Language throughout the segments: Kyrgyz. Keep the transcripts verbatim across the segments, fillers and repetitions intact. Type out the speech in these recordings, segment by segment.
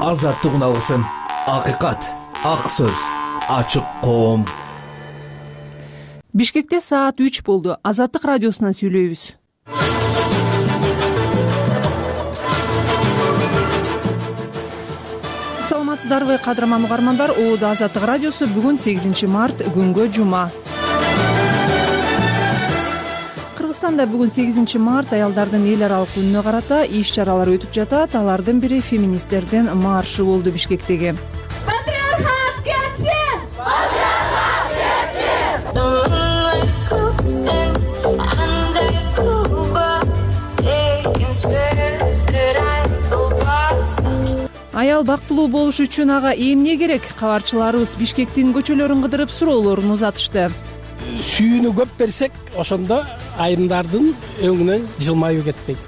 азаттыгын алгысың. Акыйкат, ак сөз, ачык коом. Бишкекте саат үч болду. Азаттык радиосунан сүйлөйбүз. Саламатсыздарбы кадырман угармандар? Оодо Азаттык радиосу бүгүн сегизинчи март күнгө жума. Кыргызстанда бүгүн сегизинчи март аялдардын эл аралык күнүнө карата иш чаралар өтүп жатат. Алардын бири феминисттердин маршы болду Бишкектеги. Патриархат кетсин! Патриархат кетсин! Аял бактылуу болуш үчүн ага эмне керек? Кабарчыларыбыз Бишкектин көчөлөрүн кыдырып суроолорун узатышты. Сүйүүнү көп берсек, ошондо айымдардын өңүнөн жылмаюу кетпейт.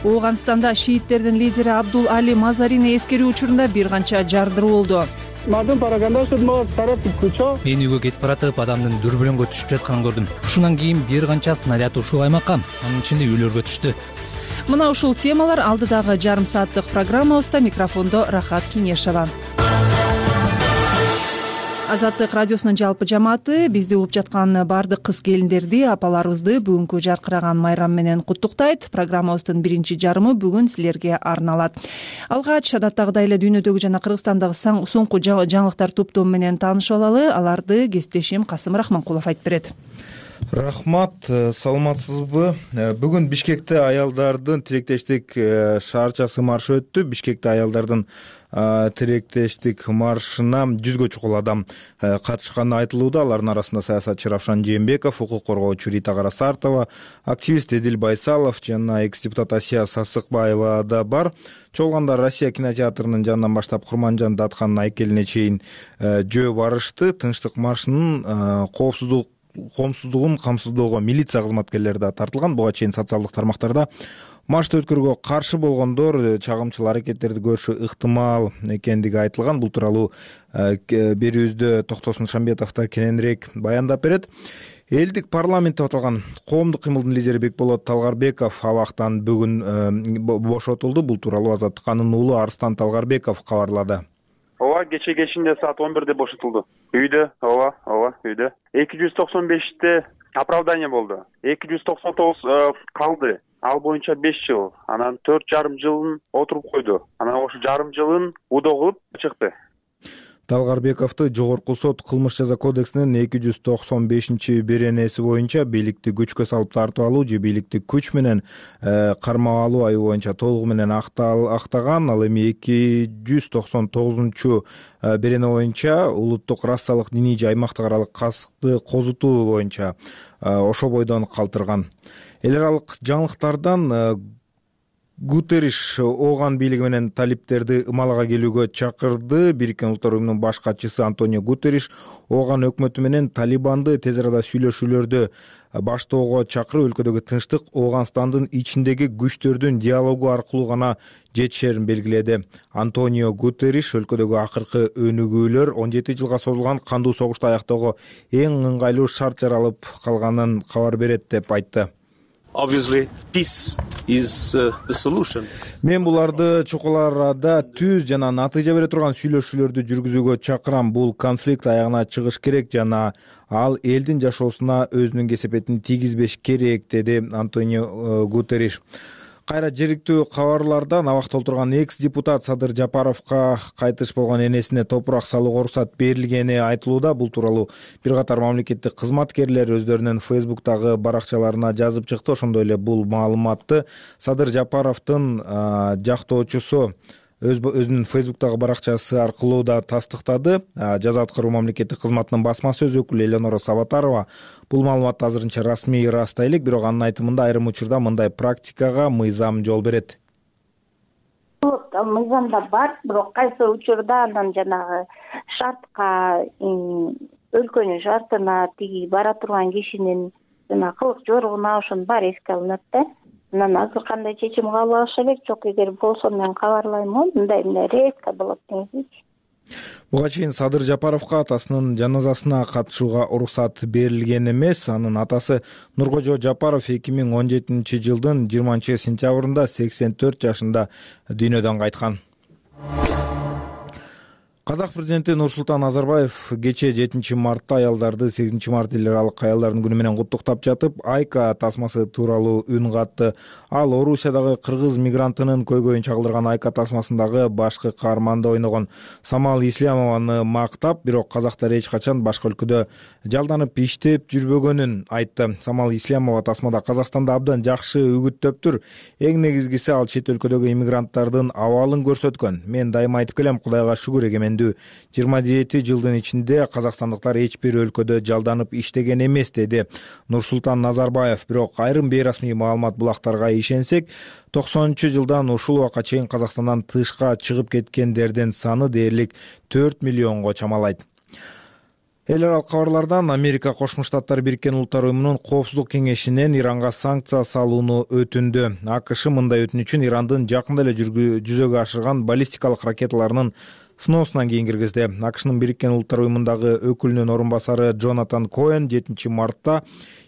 Ооганстанда шииттердин лидери Абдул Али Мазарини эскерүү учурунда бир канча жардыруу болду. Мен үйгө кетип баратып, адамдын дүрбөлөңгө түшүп жатканын көрдүм. Ушундан кийин бир канча снаряд ушул аймакка, анын ичинде үйлөргө түштү. Мына ушул темалар алдыдагы жарым сааттык программабызда. Микрофондо Рахат Кинешова. Азаттык радиосунун жалпы жамааты бизди угуп жаткан бардык кыз келиндерди, апаларыбызды бүгүнкү жаркыраган майрам менен куттуктайт. Программабыздын биринчи жарымы бүгүн силерге арналат. Алгач адаттагыдай эле дүйнөдөгү жана Кыргызстандагы соңку жаңылыктар топтому менен таанышып алалы. Аларды кесиптешим Касым Рахманкулов айтып берет. Рахмат, саламатсызбы? Бүгүн Бишкекте аялдардын тилектештик шаарчасы маршы өттү. Бишкекте аялдардын тилектештик маршына жүзгө чукул адам катышканы айтылууда. Алардын арасында саясатчы Равшан Жээнбеков, укук коргоочу Рита Карасартова, активист Эдил Байсалов жана экс-депутат Асия Сасыкбаева да бар. Чогулгандар Россия кинотеатрынын жанынан баштап Курманжан Датхандын айкелине чейин жөө барышты. Тынчтык маршынын коопсуздук коомсуздугун камсыздоого милиция кызматкерлери да тартылган. Буга чейин социалдык тармактарда маршты өткөрүүгө каршы болгондор чагымчыл аракеттерди көрүшү ыктымал экендиги айтылган. Бул тууралуу берүүбүздө Токтосун Шамбетов да кененирээк баяндап берет. Элдик парламент деп аталган коомдук кыймылдын лидери Бекболот Талгарбеков абактан бүгүн бошотулду. Бул тууралуу Азаттыканын уулу Арстан Талгарбеков кабарлады. Ооба, кече кечинде саат он бирде бошотулду. Үйдө, ооба, ооба, үйдө. эки жүз токсон беште оправдание болду. эки жүз токсон тогуз калды. Ал боюнча беш жыл. Анан төрт жарым жылын отуруп койду. Анан ошо жарым жылын удоо кылып чыкты. Талгарбековду жогорку сот кылмыш жаза кодексинин эки жүз токсон бешинчи беренеси боюнча бийликти күчкө салып тартып алуу же бийликти күч менен кармап алуу айыбы боюнча толугу менен актаган. Ал эми эки жүз токсон тогузунчу берене боюнча улуттук расалык диний же аймактык аралык кастыкты козутуу боюнча ошо бойдон калтырган. Эл аралык жаңылыктардан Гутерриш Ооган бийлиги менен талиптерди ымалага келүүгө чакырды. Бириккен Улуттар уюмунун баш катчысы Антонио Гутерриш Ооган өкмөтү менен Талибанды тез арада сүйлөшүүлөрдү баштоого чакырып, өлкөдөгү тынчтык Ооганстандын ичиндеги күчтөрдүн диалогу аркылуу гана жетишерин белгиледи. Антонио Гутерриш өлкөдөгү акыркы өнүгүүлөр он жети жылга созулган кандуу согушту аяктоого эң ыңгайлуу шарт жаралып калганын кабар берет деп айтты. Obviously, peace is uh, the solution. Мен буларды чокул арада түз жана натыйжа бере турган сүйлөшүүлөрдү жүргүзүүгө чакырам. Бул конфликт аягына чыгыш керек жана ал элдин жашоосуна өзүнүн кесепетин тийгизбеш керек, деди Антонио Гутерриш. Кайра жергиликтүү кабарлардан абакта отурган экс-депутат Садыр Жапаровго кайтыш болгон энесине топурак салууга уруксат берилгени айтылууда. Бул тууралуу бир катар мамлекеттик кызматкерлер өздөрүнүн Фейсбуктагы баракчаларына жазып чыкты. Ошондой эле бул маалыматты Садыр Жапаровдун жактоочусу өзүнүн Фейсбуктагы баракчасы аркылуу да тастыктады. Жаза аткаруу мамлекеттик кызматынын басма сөз өкүлү Элеонора Сабатарова бул маалыматты азырынча расмий ырастай элек, бирок анын айтымында айрым учурда мындай практикага мыйзам жол берет. Мыйзамда бар, бирок кайсы учурда анан жанагы шартка, өлкөнүн шартына, тиги бара турган кишинин жана кылык жоругуна ошонун баары эске алынат да. Анан азыр кандай чечим кабыл алыш элек, жок эгер болсо мен кабарлаймын, мындай мындай резко болот деңизчи. Буга чейин Садыр Жапаровго атасынын жаназасына катышууга уруксат берилген эмес. Анын атасы Нуркожо Жапаров эки миң он жетинчи жылдын жыйырманчы сентябрында сексен төрт жашында дүйнөдөн кайткан. Казак президенти Нурсултан Назарбаев кечээ жетинчи мартта аялдарды сегизинчи март эл аралык аялдардын күнү менен куттуктап жатып, Айка тасмасы тууралуу үн катты. Ал Орусиядагы кыргыз мигрантынын көйгөйүн чагылдырган Айка тасмасындагы башкы каарманда ойногон Самал Ислямованы мактап, бирок казактар эч качан башка өлкөдө жалданып иштеп жүрбөгөнүн айтты. Самал Ислямова тасмада Казакстанда абдан жакшы үгүттөптүр. Эң негизгиси ал чет өлкөдөгү иммигранттардын абалын көрсөткөн. Мен дайыма айтып келем, Кудайга шүгүр, эгемендүү жыйырма жети жылдын ичинде казакстандыктар эч бир өлкөдө жалданып иштеген эмес, деди Нурсултан Назарбаев. Бирок айрым бейрасмий маалымат булактарга ишенсек, токсонунчу жылдан ушул убакка чейин Казакстандан тышка чыгып кеткендердин саны дээрлик төрт миллионго чамалайт. Эл аралык кабарлардан Америка Кошмо Штаттар Бириккен Улуттар Уюмунун Коопсуздук кеңешинен Иранга санкция салууну өтүндү. АКШ мындай өтүнүчүн Ирандын жакында эле жүзөгө ашырган баллистикалык ракеталарынын сыноосунан кийин киргизди. АКШнын Бириккен Улуттар Уюмундагы өкүлүнүн орун басары Джонатан Коэн жетинчи мартта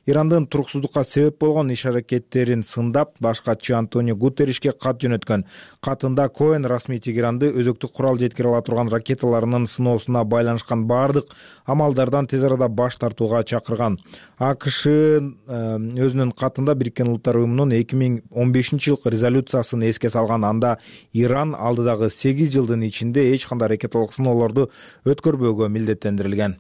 Ирандын туруксуздукка себеп болгон иш-аракеттерин сындап, башкачы Антонио Гутерришке кат жөнөткөн. Катында Коэн расмий Тегеранды өзөктүк курал жеткире ала турган ракеталарынын сыноосуна байланышкан бардык амалдардан тез арада баш тартууга чакырган. АКШ өзүнүн катында Бириккен Улуттар Уюмунун эки миң он бешинчи жылкы резолюциясын эске салган. Анда Иран алдыдагы сегиз жылдын ичинде эч кандай ракеталык сыноолорду өткөрбөөгө милдеттендирилген.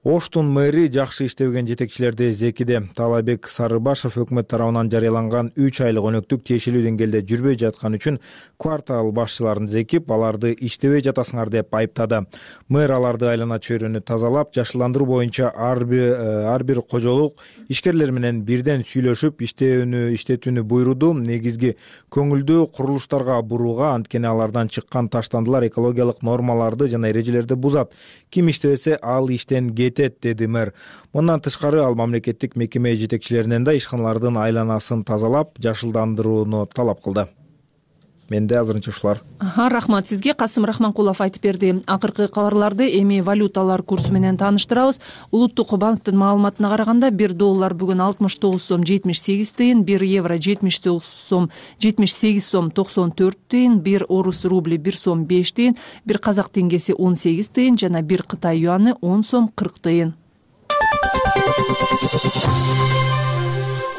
Оштун мэри жакшы иштебеген жетекчилерди зекиде. Талабек Сарыбашев өкмөт тарабынан жарыяланган үч айлык өнөктүк тиешелүү деңгээлде жүрбөй жаткан үчүн квартал башчыларын зекип, аларды иштебей жатасыңар деп айыптады. Мэр аларды айлана чөйрөнү тазалап, жашылдандыруу боюнча ар бир кожолук ишкерлер менен бирден сүйлөшүп, иштөөнү иштетүүнү буйруду. Негизги көңүлдү курулуштарга бурууга, анткени алардан чыккан таштандылар экологиялык нормаларды жана эрежелерди бузат. Ким иштебесе, ал иштен деди мэр. Мындан тышкары ал мамлекеттик мекеме жетекчилеринен да ишканалардын айланасын тазалап, жашылдандырууну талап кылды. Менде азырынча ушулар. Рахмат сизге. Касым Рахманкулов айтып берди. Акыркы кабарларды эми валюталар курсу менен тааныштырабыз. Улуттук банктын маалыматына караганда бир доллар бүгүн алтымыш тогуз сом жетимиш сегиз тыйын, бир евро жетимиш тогуз сом жетимиш сегиз сом токсон төрт тыйын, бир орус рубли бир сом беш тыйын, бир казак теңгеси он сегиз тыйын жана бир Кытай юаны он сом кырк тыйын.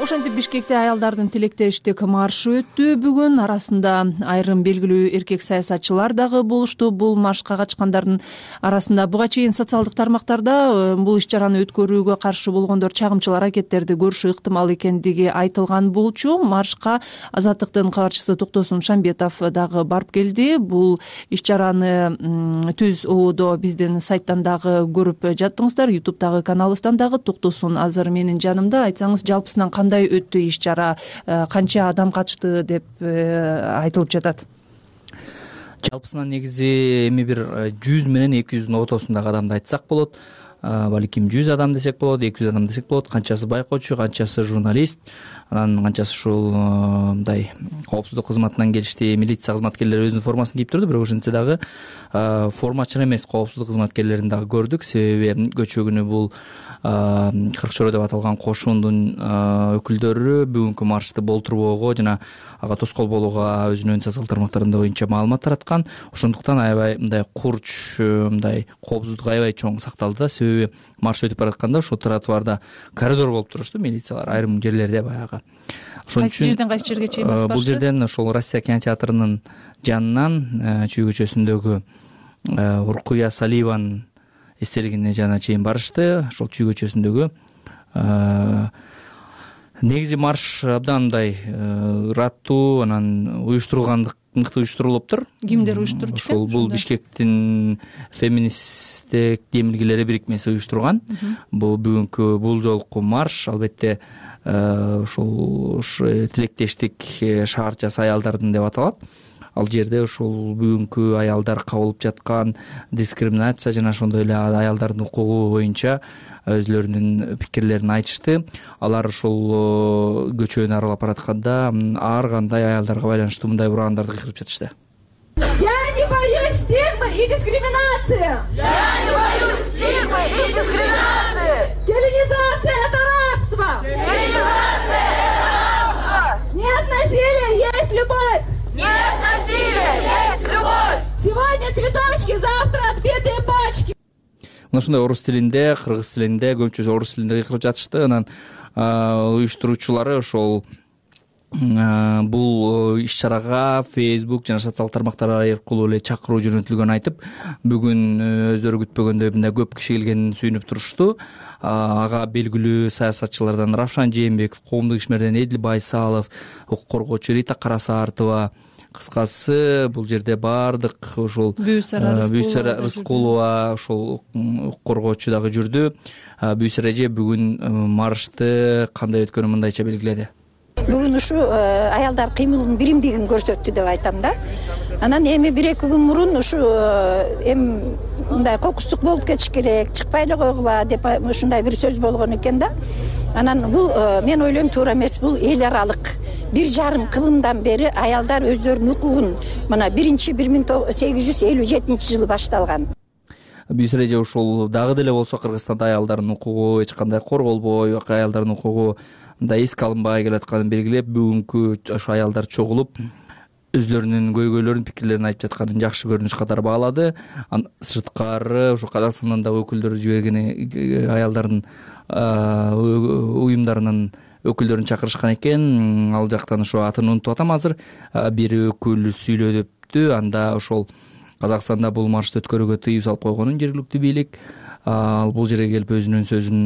Ошентип Бишкекте аялдардын тилектештик маршы өттү бүгүн. Арасында айрым белгилүү эркек саясатчылар дагы болушту. Бул маршка катышкандардын арасында буга чейин социалдык тармактарда бул иш-чараны өткөрүүгө каршы болгондор чагымчыл аракеттерди көрүшү ыктымал экендиги айтылган болчу. Маршка Азаттыктын кабарчысы Токтосун Шамбетов дагы барып келди. Бул иш-чараны түз ободо биздин сайттан дагы көрүп жаттыңыздар, ютубтагы каналыбыздан дагы. Токтосун азыр менин жанымда. Айтсаңыз, жалпысынан кандай өттү иш-чара, канча адам катышты деп айтылып жатат? Жалпысынан негизи эми бир жүз менен эки жүздүн ортосундагы адамды айтсак болот. Балким жүз адам десек болот, эки жүз адам десек болот. Канчасы байкоочу, канчасы журналист, анан канчасы ушул мындай коопсуздук кызматынан келишти. Милиция кызматкерлери өзүнүн формасын кийип турду, бирок ошентсе дагы формачыл эмес коопсуздук кызматкерлерин дагы көрдүк. Себеби көчө күнү бул кырк чоро деп аталган кошундун өкүлдөрү бүгүнкү маршты болтурбоого жана ага тоскоол болууга өзүнүн социалдык тармактарында боюнча маалымат тараткан. Ошондуктан аябай мындай курч, мындай коопсуздук аябай чоң сакталды да. Себеби марш өтүп баратканда ошол тротуарда коридор болуп турушту милициялар айрым жерлерде баягы. Ошон үчүн кайсы жерден кайсы жерге чейин басып барышты? Бул жерден ошол Россия кинотеатрынын жанынан Чүй көчөсүндөгү Уркуя Саливан эстелигине жана чейин барышты. Ошол Чүй көчөсүндөгү негизи марш абдан мындай раттуу, анан уюштурулгандык мыкты уюштурулуптур. Кимдер уюштурду? Ошол бул Бишкектин феминисттик демилгелери бирикмеси уюштурган. Бул бүгүнкү бул жолку марш албетте ошол тилектештик шаарчасы аялдардын деп аталат. Ал жерде ошол бүгүнкү аялдар кабылып жаткан дискриминация жана ошондой эле аялдардын укугу боюнча өзлөрүнүн пикирлерин айтышты. Алар ошол көчөнү аралап баратканда ар кандай аялдарга байланыштуу мындай ураандарды кыйрып жатышты. Я не боюсь стигмы и дискриминации. Я не боюсь стигмы и дискриминации. Геленизация — это рабство. Геленизация — это рабство. Нет насилия, есть любовь. Нет насилия, есть любовь. Сегодня мына ушундай орус тилинде, кыргыз тилинде, көбүнчөсү орус тилинде кыйкырып жатышты. Анан уюштуруучулары ошол бул иш-чарага Facebook жана социалдык тармактар аркылуу эле чакыруу жөнөтүлгөнүн айтып, бүгүн өздөрү күтпөгөндөй мындай көп киши келгенин сүйүнүп турушту. Ага белгилүү саясатчылардан Равшан Жээнбеков, коомдук ишмерден Эдил Байсалов, укук коргоочу Рита Карасаартова, кыскасы бул жерде баардык ошол Бүйсара Рыскулова, ошол укук коргоочу дагы жүрдү. Бүйсара эже бүгүн маршты кандай өткөнүн мындайча белгиледи. Бүгүн ушу аялдар кыймылынын биримдигин көрсөттү деп айтам да. Анан эми бир эки күн мурун ушу эми мындай кокустук болуп кетиш керек, чыкпай эле койгула деп ушундай бир сөз болгон экен да. Анан бул мен ойлойм туура эмес, бул эл аралык бир жарым кылымдан бери аялдар өздөрүнүн укугун мына биринчи бир миң сегиз жүз элүү жетинчи жылы башталган. Бүйсара эже ушул дагы деле болсо Кыргызстанда аялдардын укугу эч кандай корголбой, аялдардын укугу мындай эске алынбай келатканын белгилеп, бүгүнкү ошо аялдар чогулуп өзлөрүнүн көйгөйлөрүн, пикирлерин айтып жатканын жакшы көрүнүш катары баалады. Сырткары ушу Казакстандан дагы өкүлдөр жиберген аялдардын уюмдарынын өкүлдөрүн чакырышкан экен. Ал жактан ошо атын унутуп атам азыр. Бир өкүл сүйлөдүптү. Анда ошол Казакстанда бул маршты өткөрүүгө тыюу салып койгонун жергиликтүү бийлик. Ал бул жерге келип өзүнүн сөзүн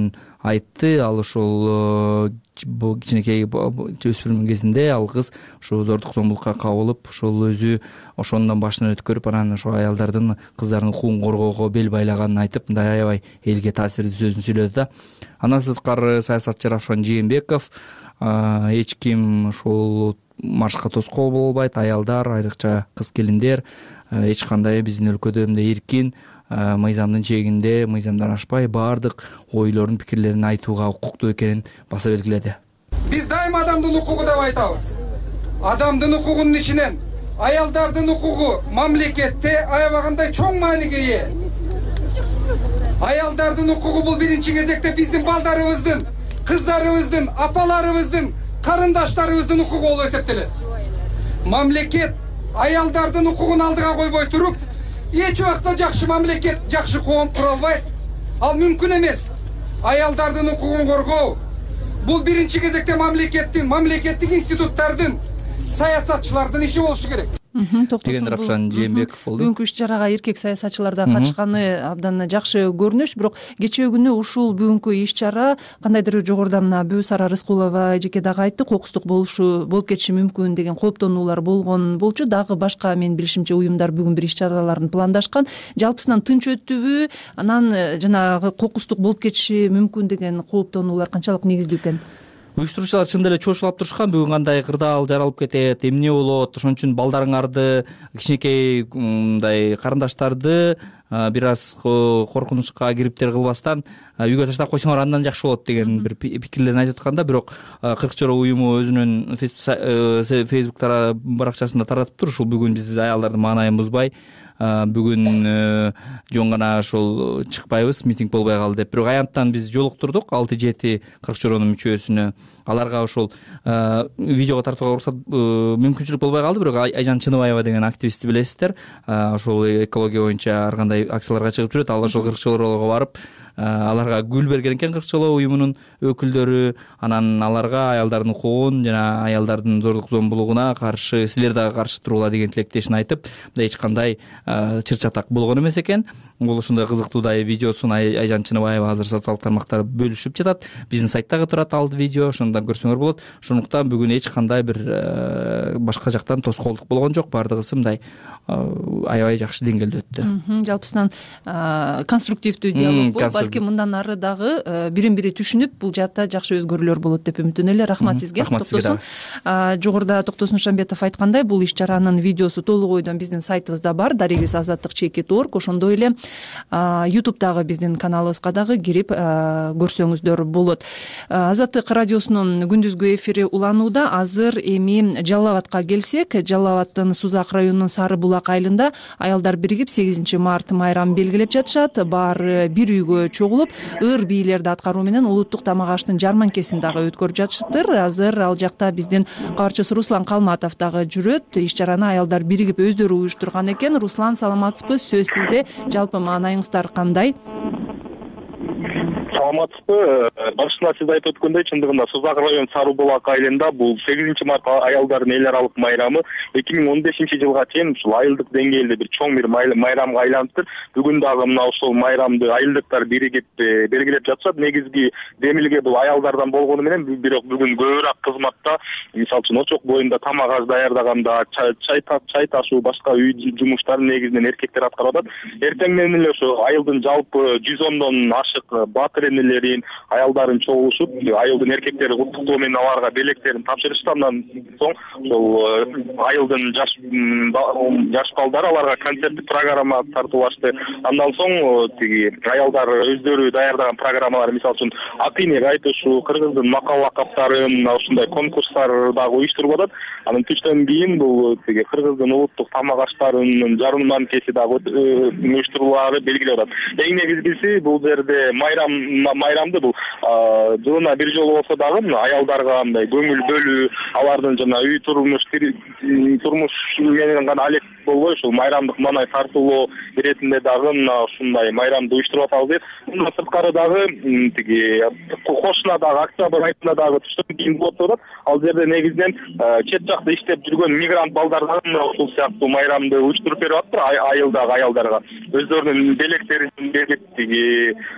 айтты. Ал ошол кичинекей өспүрүм кезинде ал кыз ошо зордук зомбулукка кабылып, ошол өзү ошондон башынан өткөрүп, анан ошо аялдардын, кыздардын укугун коргоого бел байлаганын айтып, мындай аябай элге таасирдүү сөзүн сүйлөдү да. Андан сырткары саясатчы Равшан Жээнбеков эч ким ошол маршка тоскоол боло албайт, аялдар, айрыкча кыз келиндер эч кандай биздин өлкөдө мындай эркин, мыйзамдын чегинде, мыйзамдан ашпай баардык ойлорун, пикирлерин айтууга укуктуу экенин баса белгиледи. Биз дайыма адамдын укугу деп айтабыз. Адамдын укугунун ичинен аялдардын укугу мамлекетте аябагандай чоң мааниге ээ. Аялдардын укугу бул биринчи кезекте биздин балдарыбыздын, кыздарыбыздын, апаларыбыздын, карындаштарыбыздын укугу болуп эсептелет. Мамлекет аялдардын укугун алдыга койбой туруп, эч убакта жакшы мамлекет, жакшы коом кура албайт. Ал мүмкүн эмес. Аялдардын укугун коргоо бул биринчи кезекте мамлекеттин, мамлекеттик институттардын, саясатчылардын иши болушу керек. деген Равшан Жээнбеков болду. Бүгүнкү иш-чарага эркек саясатчылар да катышканы абдан жакшы көрүнүш, бирок кечээ күнү ушул бүгүнкү иш-чара кандайдыр жогоруда мына Бүйсара Рыскулова эжеке дагы айтты, кокустук болушу болуп кетиши мүмкүн деген кооптонуулар болгон болчу. Дагы башка менин билишимче уюмдар бүгүн бир иш-чараларын пландашкан. Жалпысынан тынч өттүбү? Анан жанагы кокустук болуп кетиши мүмкүн деген кооптонуулар канчалык негиздүү экен? Уюштуруучулар чын эле чочулап турушкан, бүгүн кандай кырдаал жаралып кетет, эмне болот, ошон үчүн балдарыңарды, кичинекей мындай карындаштарды бир аз коркунучка кириптер кылбастан үйгө таштап койсоңор андан жакшы болот деген бир пикирлерин айтып атканда, бирок кырк чора уюму өзүнүн Facebook баракчасында таратыптыр. Ушул бүгүн биз аялдардын маанайын бузбай, бүгүн жөн гана ошол чыкпайбыз, митинг болбой калды деп. Бирок аянттан биз жолуктурдук алты жети кырк чоронун мүчөсүнө. Аларга ошол видеого тартууга уруксат мүмкүнчүлүк болбой калды, бирок Айжан Чыныбаева деген активистти билесиздер. Ошол экология боюнча ар кандай акцияларга чыгып жүрөт. Ал ошол кырк чорого барып аларга гүл берген экен, кырк чоло уюмунун өкүлдөрү. Анан аларга аялдардын укугун жана аялдардын зордук зомбулугуна каршы, силер дагы каршы туругула деген тилектешин айтып, мындай эч кандай чыр-чатак болгон эмес экен. Бул ошондой кызыктуудай видеосун Айжан Чыныбаева азыр социалдык тармактар бөлүшүп жатат. Биздин сайтта турат ал видео, ошондон көрсөңөр болот. Ошондуктан бүгүн эч кандай бир башка жактан тоскоолдук болгон жок. Бардыгысы мындай аябай жакшы деңгээлде өттү. Жалпысынан конструктивдүү диалог болуп, балким мындан ары дагы бирин бири түшүнүп, бул жаатта жакшы өзгөрүүлөр болот деп үмүттөнөлү эле. Рахмат сизге. Токтосун. Жогоруда Токтосун Шамбетов айткандай, бул иш-чаранын видеосу толук ойдон биздин сайтыбызда бар, дарегиз азаттык чекит точка орг. Ошондой эле ютубтагы биздин каналыбызга дагы кирип көрсөңүздөр болот. Азаттык радиосунун күндүзгү эфири уланууда. Азыр эми Жалал Абадка келсек, Жалал Абадтын Сузак районунун Сары Булак айылында аялдар биригип сегизинчи март майрамын белгилеп жатышат. Баары бир үйгө чогулуп, ыр бийлерди аткаруу менен улуттук тамак аштын жарманкесин дагы өткөрүп жатышыптыр. Азыр ал жакта биздин кабарчыбыз Руслан Калматов дагы жүрөт. Иш-чараны аялдар биригип өздөрү уюштурган экен. Руслан, саламатсызбы? Сөз сизде. Жалпы маанайыңыздар кандай? саламатсызбы. Башында сиз айтып өткөндөй, чындыгында Сузак район Сары Булак айылында бул сегизинчи март аялдардын эл аралык майрамы эки миң он бешинчи жылга чейин ушул айылдык деңгээлде бир чоң бир майрамга айланыптыр. Бүгүн дагы мына ушул майрамды айылдыктар биригип белгилеп жатышат. Негизги демилге бул аялдардан болгону менен бирок бүгүн көбүрөөк кызматта, мисалы үчүн очок боюнда тамак аш даярдаганда, чай чай ташуу, башка үй жумуштарын негизинен эркектер аткарып атат. Эртең менен эле ошо айылдын жалпы жүз ондон ашык баатыр энелерин, аялдарын чогулушуп, айылдын эркектери куттуктоо менен аларга белектерин тапшырышты. Андан соң ошол айылдын жаш жаш балдары аларга концерттик программа тартуулашты. Андан соң тиги аялдар өздөрү даярдаган программалар, мисалы үчүн ат ийнек айтышуу, кыргыздын макал лакаптарын, ушундай конкурстар дагы уюштуруп атат. Анан түштөн кийин бул тиги кыргыздын улуттук тамак аштарынын жарыманкеси дагы уюштурулары белгилеп атат. Эң негизгиси бул жерде майрам майрамды бул жылына бир жолу болсо дагы аялдарга мындай көңүл бөлүү, алардын жана үй турмуш турмуш менен гана алек болбой, ушул майрамдык маанай тартуулоо иретинде дагы мына ушундай майрамды уюштуруп атабыз. Мындан сырткары дагы тиги Кошунадагы октябрь айында дагы түштөн кийин болот деп атат. Ал жерде негизинен чет жакта иштеп жүргөн мигрант балдар дагы мына ушул сыяктуу майрамды уюштуруп берип атыптыр айылдагы аялдарга. Өздөрүнүн белектерин берип тиги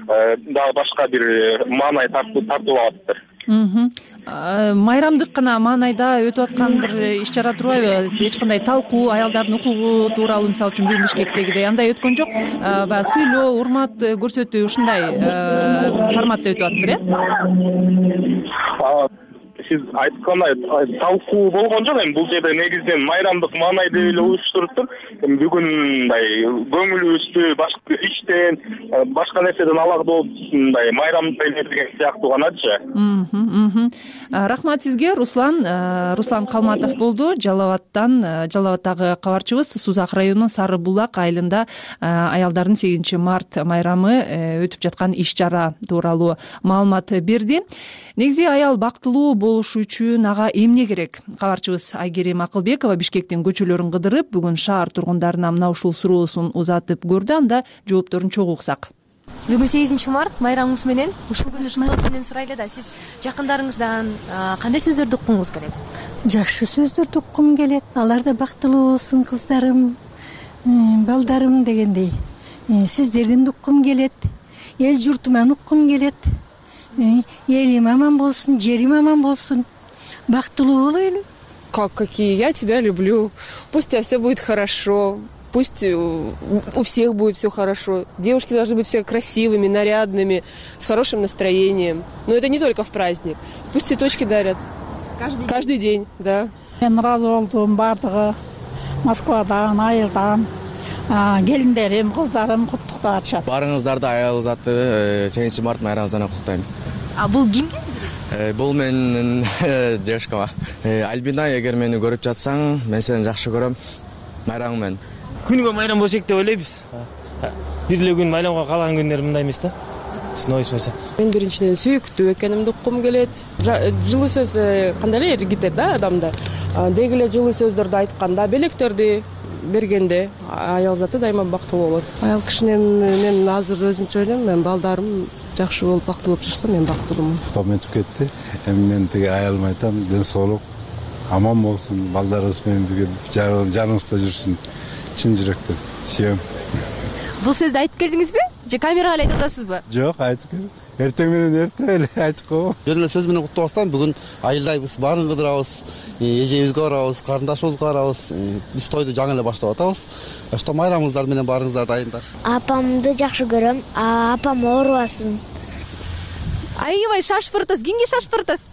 дагы башка бир маанай тартуулап атыптыр. Майрамдык гана маанайда өтүп аткан бир иш чара турбайбы? Эч кандай талкуу, аялдардын укугу тууралуу, мисалы үчүн бүгүн Бишкектегидей андай өткөн жок. Баягы сыйлоо, урмат көрсөтүү ушундай форматта өтүп атыптыр, э? Сиз айткандай талкуу болгон жок. Эми бул жерде негизинен майрамдык маанайда эле уюштуруптур. Бүгүн мындай көңүлүбүздү башка иштен, башка нерседен алак болуп мындай майрамды элеген сыяктуу ганачы. Рахмат сизге, Руслан. Руслан Калматов болду. Жалал-Абадтан, Жалал-Абадтагы кабарчыбыз. Сузак районунун Сары Булак айылында аялдардын сегизинчи март майрамы өтүп жаткан иш чара тууралуу маалымат берди. Негизи аял бактылуу болушу үчүн ага эмне керек? Кабарчыбыз Айгерим Акылбекова Бишкектин көчөлөрүн кыдырып, бүгүн шаар тургундарына мына ушул суроосун узатып көрдү. Анда жоопторун чогуу уксак. Бүгүн сегизинчи март майрамыңыз менен ушул күнү шуктоосу менен сурайлы да, сиз жакындарыңыздан кандай сөздөрдү уккуңуз келет? Жакшы сөздөрдү уккум келет. Алар да бактылуу болсун, кыздарым, балдарым дегендей. Сиздерден уккум келет. Эл журтуман уккум келет. Элим аман болсун, жерим аман болсун. Бактылуу болойлу. Как какие? Я тебя люблю. Пусть у тебя все будет хорошо. Пусть у всех будет все хорошо. Девушки должны быть все красивыми, нарядными, с хорошим настроением. Но это не только в праздник. Пусть цветочки дарят. Каждый, Каждый день, да. Мен ыраазы болдум баардыгы Москвадан, айылдан. Келиндерим, кыздарым куттуктап атышат. Баарыңыздарды аял заты сегизинчи март майрамыңыздан куттуктайм. А бул кимге берет? Бул менин девушкама. Альбина, эгер мени көрүп жатсаң, мен сени жакшы көрөм. Майрамың менен. Күнгө майрам болсок деп ойлойбуз. Бир эле күн майрамга калган күндөр мындай эмес да. Сноойсо. Мен биринчиден сүйүктүү экенимди уккум келет. Жылуу сөз кандай эле эргитет да адамды. Деги эле жылуу сөздөрдү айтканда, белектерди бергенде аял заты дайыма бактылуу болот. Аял кишинен мен азыр өзүмчө ойлойм, мен балдарым жакшы болуп бактылуу болуп жашаса мен бактылуумун. Пам өтүп кетти. Эми мен тиги аялыма айтам, ден соолук, аман болсун, балдарыбыз менен бирге жаныбызда жүрсүн. Чын жүрөктөн сүйөм. Бул сөздү айтып келдиңизби? Же камерага эле айтып атасызбы? Жок, айтып келдим. Эртең менен эрте эле айтып коебу. Жөн эле сөз менен куттуктабыздан бүгүн айылдайбыз, баарын кыдырабыз, эжебизге барабыз, карындашыбызга барабыз. Биз тойду жаңы эле баштап атабыз. Ошто майрамыңыздар менен баарыңыздар дайындар. Апамды жакшы көрөм. Апам оорубасын. Аябай шашып атасыз. Кимге шашып атасыз?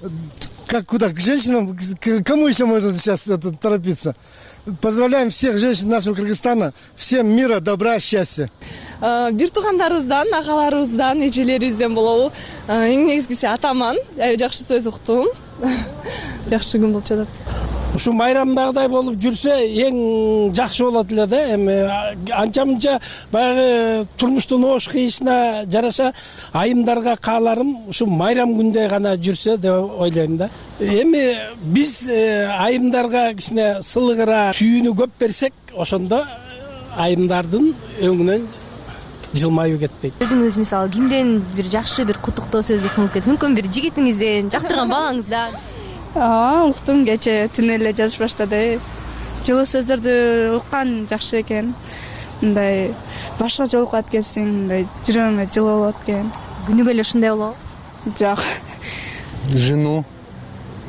Как куда? К женщинам? Кому еще можно сейчас торопиться? Поздравляем всех женщин нашего Кыргызстана. Всем мира, добра, счастья. Бир туугандарыбыздан, агаларыбыздан, эжелерибизден болобу. Эң негизгиси атаман. Жакшы сөз уктум. Жакшы күн болуп жатат. Ушу майрамдагыдай болуп жүрсө эң жакшы болот эле да. Эми анча-мынча баягы турмуштун оош кыйышына жараша айымдарга кааларым ушу майрам күндө гана жүрсө деп ойлойм да. Эми биз айымдарга кичине сылыгыраак сүйүүнү көп берсек, ошондо айымдардын өңүнөн жылмаюу кетпейт. Өзүңүз мисалы кимден бир жакшы бир куттуктоо сөз укмуңуз келет? Мүмкүн бир жигитиңизден, жактырган балаңыздан? Ооба, уктум, кече түнү эле жазып баштады. Жылуу сөздөрдү уккан жакшы экен. Мындай башкача окуп кетсең, мындай жүрөгүңө жылуу болот экен. Күнүгө эле ушундай болобу? Жок. Жену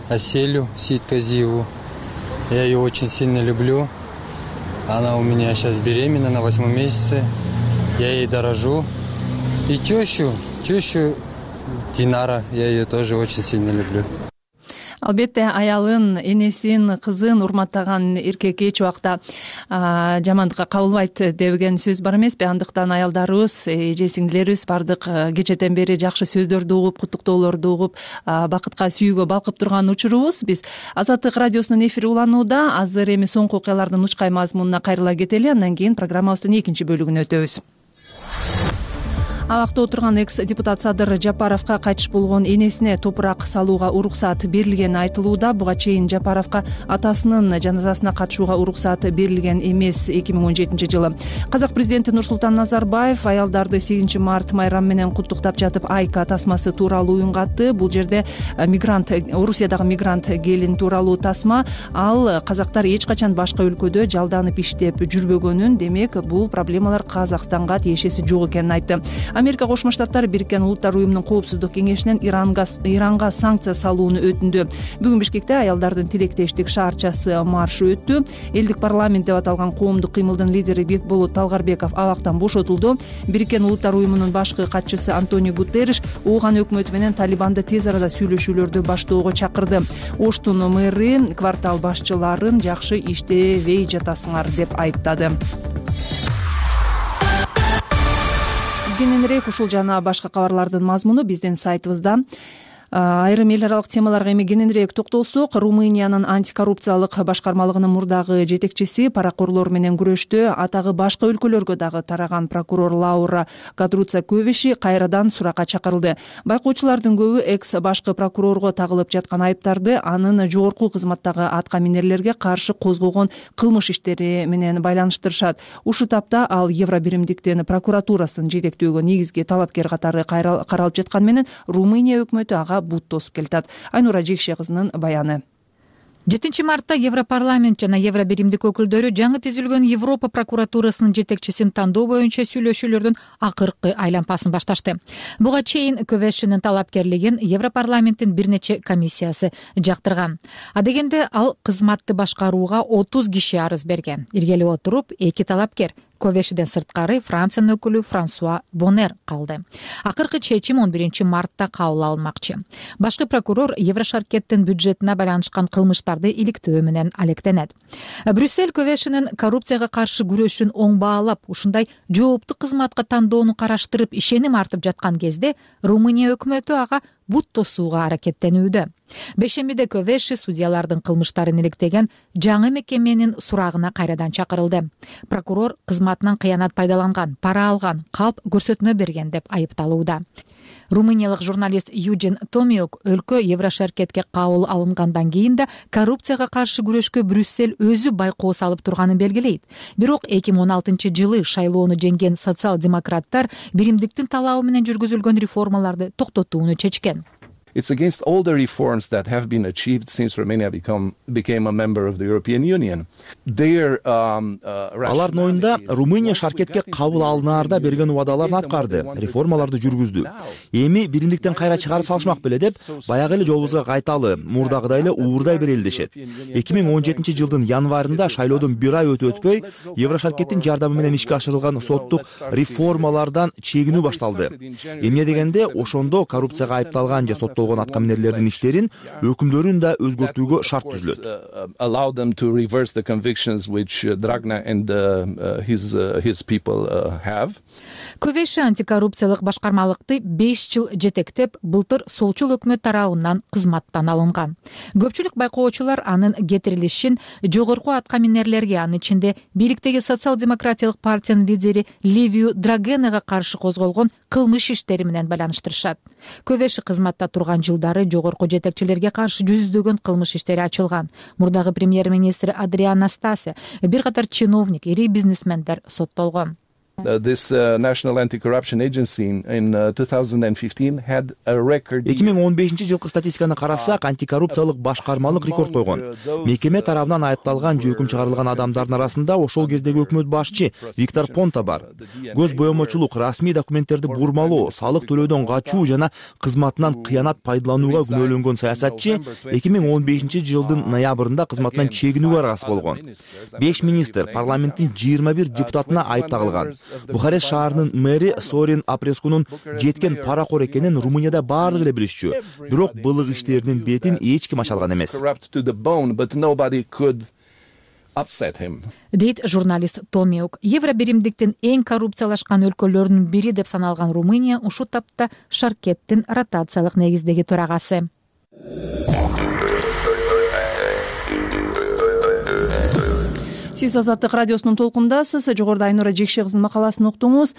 Аселю Сиитказиеву. Я ее очень сильно люблю. Она у меня сейчас беременна на восьмом месяце. Я ей дорожу. И тещу, тещу Динара, я ее тоже очень сильно люблю. Албетте аялын, энесин, кызын урматтаган эркек эч убакта жамандыкка кабылбайт деген сөз бар эмеспи? Андыктан аялдарыбыз, эже сиңдилерибиз бардык кечеден бери жакшы сөздөрдү угуп, куттуктоолорду угуп, бакытка, сүйүүгө балкып турган учурубуз. Биз Азаттык радиосунун эфири уланууда. Азыр эми соңку окуялардын учкай мазмунуна кайрыла кетели, андан кийин программабыздын экинчи бөлүгүнө өтөбүз. Абакта отурган экс-депутат Садыр Жапаровго кайтыш болгон энесине топурак салууга уруксаат берилгени айтылууда. Буга чейин Жапаровго атасынын жаназасына катышууга уруксаат берилген эмес эки миң он жетинчи жылы. Казак президенти Нурсултан Назарбаев аялдарды сегизинчи март майрам менен куттуктап жатып Айка тасмасы тууралуу уюнгатты. Бул жерде мигрант, Орусиядагы мигрант келин тууралуу тасма. Ал казактар эч качан башка өлкөдө жалданып иштеп жүрбөгөнүн, демек бул проблемалар Казакстанга тиешеси жок экенин айтты. Америка Кошмо Штаттары Бириккен Улуттар уюмунун коопсуздук кеңешинен Иранга Иранга санкция салууну өтүндү. Бүгүн Бишкекте аялдардын тилектештик шаарчасы маршы өттү. Элдик парламент деп аталган коомдук кыймылдын лидери Бекболот Талгарбеков абактан бошотулду. Бириккен Улуттар уюмунун башкы катчысы Антонио Гутерриш Ооган өкмөтү менен Талибанды тез арада сүйлөшүүлөрдү баштоого чакырды. Оштун мэри квартал башчыларын жакшы иштебей жатасыңар деп айыптады. Кененирээк ушул жана башка кабарлардын мазмуну биздин сайтыбызда. Айрым эл аралык темаларга эми кененирээк токтолсок, Румыниянын антикоррупциялык башкармалыгынын мурдагы жетекчиси паракорлор менен күрөштө атагы башка өлкөлөргө дагы тараган прокурор Лаура Кадруца Кövеши кайрадан суракка чакырылды. Байкоочулардын көбү экс башкы прокурорго тагылып жаткан айыптарды анын жогорку кызматтагы атка минерлерге каршы козгогон кылмыш иштери менен байланыштырышат. Ушул тапта ал Евробиримдиктин прокуратурасын жетектөөгө негизги талапкер катары каралып жаткан менен Румыния өкмөтү ага бут тосуп келатат. Айнура Жекше кызынын баяны. жетинчи мартта Европарламент жана Евробиримдик өкүлдөрү жаңы түзүлгөн Европа прокуратурасынын жетекчисин тандоо боюнча сүйлөшүүлөрдүн акыркы айлампасын башташты. Буга чейин Кövешинин талапкерлигин Европарламенттин бир нече комиссиясы жактырган. А дегенде ал кызматты башкарууга отуз киши арыз берген. Иргелип отуруп, эки талапкер Кövешиден сырткары Франциянын өкүлү Франсуа Бонер калды. Акыркы чечим он биринчи мартта кабыл алынмакчы. Башкы прокурор Еврошаркеттин бюджетине байланышкан кылмыштарды иликтөө менен алектенет. Брюссель Кövешинин коррупцияга каршы күрөшүн оң баалап, ушундай жооптуу кызматка тандоону караштырып ишеним артып жаткан кезде Румыния өкмөтү ага бут тосууга аракеттенүүдө. Бешембиде Кövеши судьялардын кылмыштарын иликтеген жаңы мекеменин сурагына кайрадан чакырылды. Прокурор кызматынан кыянат пайдаланган, пара алган, калп көрсөтмө берген деп айыпталууда. Румыниялык журналист Юджин Томиок өлкө Еврошаркетке кабыл алынгандан кийин да коррупцияга каршы күрөшкө Брюссель өзү байкоо салып турганын белгилейт. Бирок эки миң он алтынчы жылы шайлоону жеңген социал-демократтар биримдиктин талабы менен жүргүзүлгөн реформаларды токтотууну чечкен. It's against all the reforms that have been achieved since Romania become, became a member of the European Union. Their, um, uh, Алардын оюнда Румыния шаркетке кабыл алынаарда берген убадаларын аткарды, реформаларды жүргүздү. Эми биримдиктен кайра чыгарып салышмак беле деп, баягы эле жолубузга кайталы, мурдагыдай эле уурдай берели дешет. эки миң он жетинчи жылдын январында шайлоодон бир ай өтүп өтпөй, Еврошаркеттин жардамы менен ишке ашырылган соттук реформалардан чегинүү башталды. Эмне дегенде, ошондо коррупцияга айыпталган же соттолгон атка минерлердин иштерин, өкүмдөрүн да өзгөртүүгө шарт түзүлөт. Allow them to reverse the convictions which Dragna and his his people have. Кövеши антикоррупциялык башкармалыкты беш жыл жетектеп, былтыр солчул өкмөт тарабынан кызматтан алынган. Көпчүлүк байкоочулар анын кетирилишин жогорку атка минерлерге, анын ичинде бийликтеги социал-демократиялык партиянын лидери Ливиu Драгенага каршы козголгон кылмыш иштери менен байланыштырышат. Кövеши кызматта турган жылдары жогорку жетекчилерге каршы жүздөгөн кылмыш иштери ачылган. Мурдагы премьер-министр Адриан Настасе, бир катар чиновник, ири бизнесмендер соттолгон. Uh, this uh, National Anti-Corruption Agency in, in uh, two thousand fifteen had a record. эки миң он бешинчи жылкы статистиканы карасак, антикоррупциялык башкармалык рекорд койгон. Мекеме тарабынан айыпталган же өкүм чыгарылган адамдардын арасында ошол кездеги өкмөт башчы Виктор Понта бар. Көз боемочулук, расмий документтерди бурмалоо, салык төлөөдөн качуу жана кызматынан кыянат пайдаланууга күнөөлөнгөн саясатчы эки миң он бешинчи жылдын ноябрында кызматынан чегинүүгө аргасыз болгон. беш министр, парламенттин жыйырма бир депутатына айып тагылган. Бухарест шаарынын мэри Сорин Апрескунун жеткен паракор экенин Румынияда баардыгы эле билишчү. Бирок былык иштеринин бетин эч ким ача алган эмес. Дейт журналист Томиук. Евробиримдиктин эң коррупциялашкан өлкөлөрүнүн бири деп саналган Румыния ушул тапта Шаркеттин ротациялык негиздеги төрагасы. Сиз Азаттык радиосунун толкундасыз. Жогоруда Айнура Жекше кызынын макаласын уктуңуз.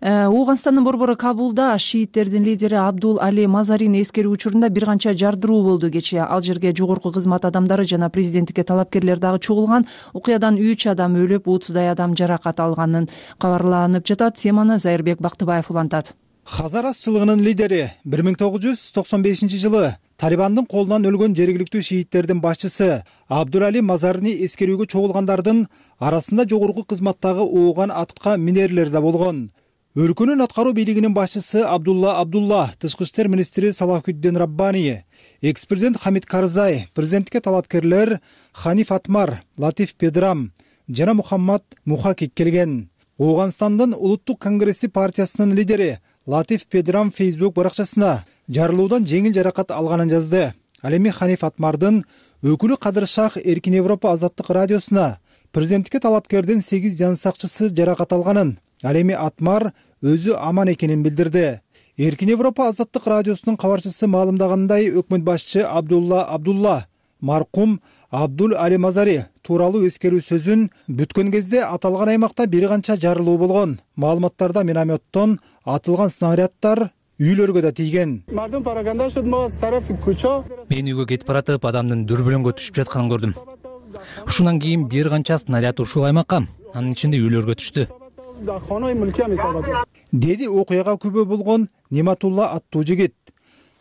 Ооганстандын борбору Кабулда шииттердин лидери Абдул Али Мазарини эскерүү учурунда бир канча жардыруу болду кечээ. Ал жерге жогорку кызмат адамдары жана президенттикке талапкерлер дагы чогулган. Окуядан үч адам өлүп, отуздай адам жаракат алганын кабарланып жатат. Теманы Зайырбек Бактыбаев улантат. Хазарас чылыгынын лидери бир миң тогуз жүз токсон бешинчи жылы Талибандын колунан өлгөн жергиликтүү шииттердин башчысы Абдул Али Мазарини эскерүүгө чогулгандардын арасында жогорку кызматтагы ооган атка минерлер да болгон. Өлкөнүн аткаруу бийлигинин башчысы Абдулла Абдулла, тышкы иштер министри Салахуддин Раббани, экс-президент Хамид Карзай, президенттикке талапкерлер Ханиф Атмар, Латиф Педрам жана Мухаммад Мухакик келген. Ооганстандын улуттук конгресси партиясынын лидери Латиф Педрам Facebook баракчасына жарылуудан жеңил жаракат алганын жазды. Ал эми Ханиф Атмардын өкүлү Кадыр Шах Эркин Европа Азаттык радиосуна президенттикке талапкердин сегиз жан сакчысы жаракат алганын, ал эми Атмар өзү аман экенин билдирди. Эркин Европа Азаттык радиосунун кабарчысы маалымдагандай, өкмөт башчы Абдулла Абдулла маркум Абдул Али Мазари тууралуу эскерүү сөзүн бүткөн кезде аталган аймакта бир канча жарылуу болгон. Маалыматтарда минометтон атылган снаряддар үйлөргө да тийген. Мен үйгө кетип баратып, адамдын дүрбөлөңгө түшүп жатканын көрдүм. Ушундан кийин бир канча снаряд ушул аймакка, анын ичинде үйлөргө түштү. Деди окуяга күбө болгон Нематулла аттуу жигит.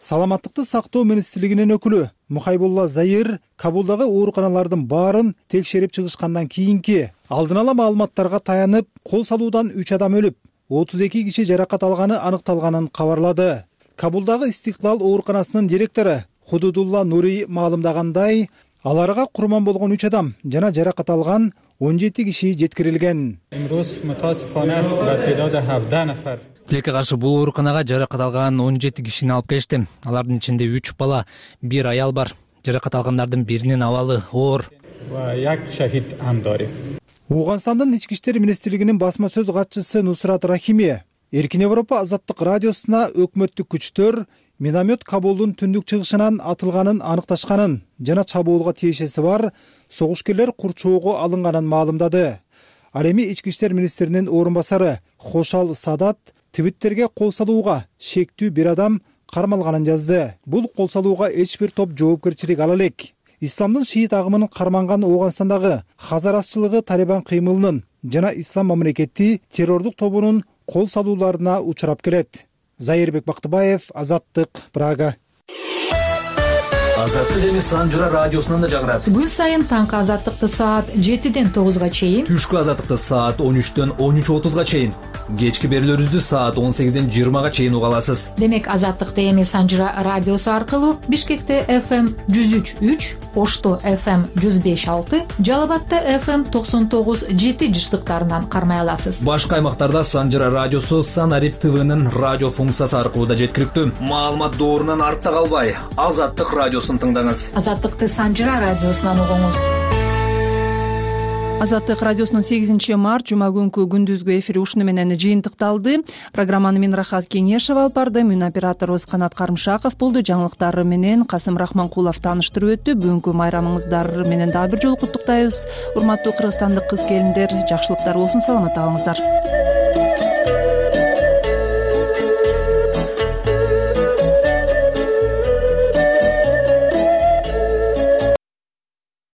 Саламаттыкты сактоо министрлигинин өкүлү Мухайбулла Заир Кабулдагы ооруканалардын баарын текшерип чыгышкандан кийинки алдын ала маалыматтарга таянып, кол салуудан үч адам өлүп, отуз эки киши жаракат алганы аныкталганын кабарлады. Кабулдагы Истиклал ооруканасынын директору Худудулла Нури маалымдагандай, аларга курман болгон үч адам жана жаракат алган он жети киши жеткирилген. Тилекке каршы бул ооруканага жаракат алган он жети кишини алып келишти. Алардын ичинде үч бала, бир аял бар. Жаракат алгандардын биринин абалы оор. Ооганстандын ички иштер министрлигинин басма сөз катчысы Нусрат Рахими Эркин Европа Азаттык радиосуна өкмөттүк күчтөр миномет Кабулдун түндүк чыгышынан атылганын аныкташканын жана чабуулга тиешеси бар согушкерлер курчоого алынганын маалымдады. Ал эми ички иштер министринин орун басары Хошал Садат Твиттерге кол салууга шектүү бир адам кармалганын жазды. Бул кол салууга эч бир топ жоопкерчилик ала элек. Исламдын шиит агымынын карманган Ооганстандагы хазарасчылыгы Талибан кыймылынын жана ислам мамлекети террордук тобунун кол салууларына учурап келет. Зайырбек Бактыбаев, Азаттык, Прага. Азаттык эми Санжыра радиосунан да жагырат. Күн сайын таңкы Азаттыкты саат жетиден тогузга чейин, түшкү Азаттыкты саат он үчтөн он үч отузга чейин, кечки берүүлөрүбүздү саат он сегизден жыйырмага чейин уга аласыз. Демек Азаттыкты эми Санжыра радиосу аркылуу Бишкекте эф эм жүз үч үч, Ошто эф эм жүз беш алты, Жалал абадта эф эм токсон тогуз жети жыштыктарынан кармай аласыз. Башка аймактарда Санжыра радиосу Санарип ТВнын радио функциясы аркылуу да жеткиликтүү. Маалымат доорунан артта калбай, Азаттык радиосун тыңдаңыз. Азаттыкты Санжыра радиосунан угуңуз. Азаттык радиосунун сегизинчи март жума күнкү күндүзгү эфири ушуну менен жыйынтыкталды. Программаны мен Рахат Кеңешева алып бардым. Мун операторубуз Канат Карымшаков болду. Жаңылыктар менен Касым Рахманкулов тааныштырып өттү. Бүгүнкү майрамыңыздар менен дагы бир жолу куттуктайбыз. Урматтуу кыргызстандык кыз келиндер, жакшылыктар болсун, саламатта калыңыздар.